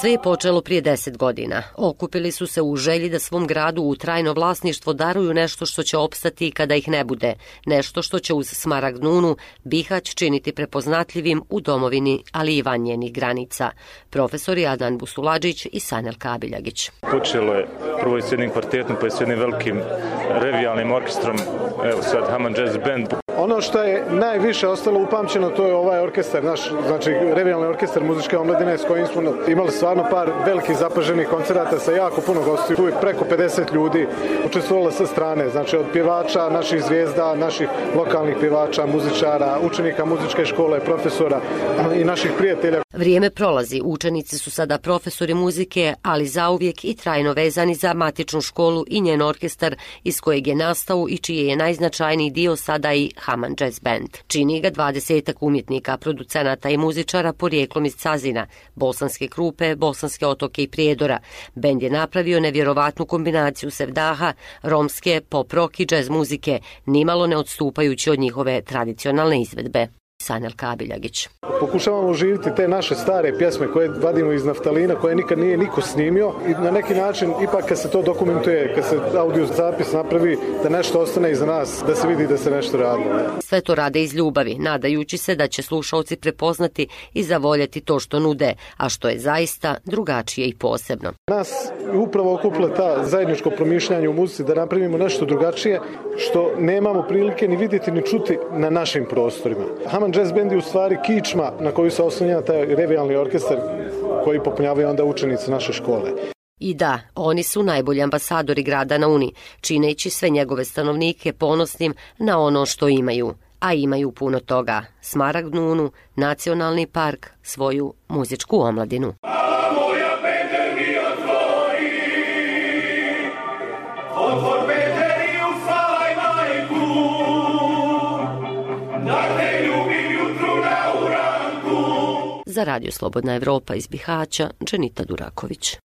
Sve je počelo prije 10 godina. Okupili su se u želji da svom gradu u trajno vlasništvo daruju nešto što će opstati kada ih ne bude, nešto što će uz Smaragd Nunu Bihać činiti prepoznatljivim u domovini, ali i van njenih granica. Profesori Adnan Busuladžić i Sanel Kabiljagić. Počelo je prvo i s jednim kvartetom, pa i s jednim velikim revijalnim orkestrom, evo sad Hammond Jazz Band. Ono što je najviše ostalo upamćeno, to je ovaj orkestar, naš, znači revijalni orkestar muzičke omladine s kojim smo imali stvarno par velikih zapaženih koncerata sa jako puno gostiju. Tu je preko 50 ljudi učestvovalo sa strane, znači od pjevača, naših zvijezda, naših lokalnih pjevača, muzičara, učenika muzičke škole, profesora i naših prijatelja. Vrijeme prolazi, učenici su sada profesori muzike, ali zauvijek i trajno vezani za matičnu školu i njen orkestar iz kojeg je nastao i čiji je najznačajniji dio sada i Hammond Jazz Band. Čini ga 20 umjetnika, producenata i muzičara porijeklom iz Cazina, Bosanske Krupe, Bosanske Otoke i Prijedora. Bend je napravio nevjerovatnu kombinaciju sevdaha, romske, pop rock i jazz muzike, nimalo ne odstupajući od njihove tradicionalne izvedbe. Sanel Kabiljagić. Pokušavamo oživiti te naše stare pjesme koje vadimo iz naftalina, koje nikad nije niko snimio i na neki način ipak kad se to dokumentuje, kad se audio zapis napravi, da nešto ostane iza nas, da se vidi da se nešto radi. Sve to rade iz ljubavi, nadajući se da će slušalci prepoznati i zavoljeti to što nude, a što je zaista drugačije i posebno. Nas upravo okupila ta zajedničko promišljanje u muzici da napravimo nešto drugačije što nemamo prilike ni vidjeti ni čuti na našim prostorima. Hammond Jazz Band je u stvari kičma na koju se oslanja taj revijalni orkestar koji popunjavaju onda učenici naše škole. I da, oni su najbolji ambasadori grada na Uni, čineći sve njegove stanovnike ponosnim na ono što imaju, a imaju puno toga. Smaragd Nunu, nacionalni park, svoju muzičku omladinu. Za Radio Slobodna Evropa iz Bihaća, Dženita Duraković.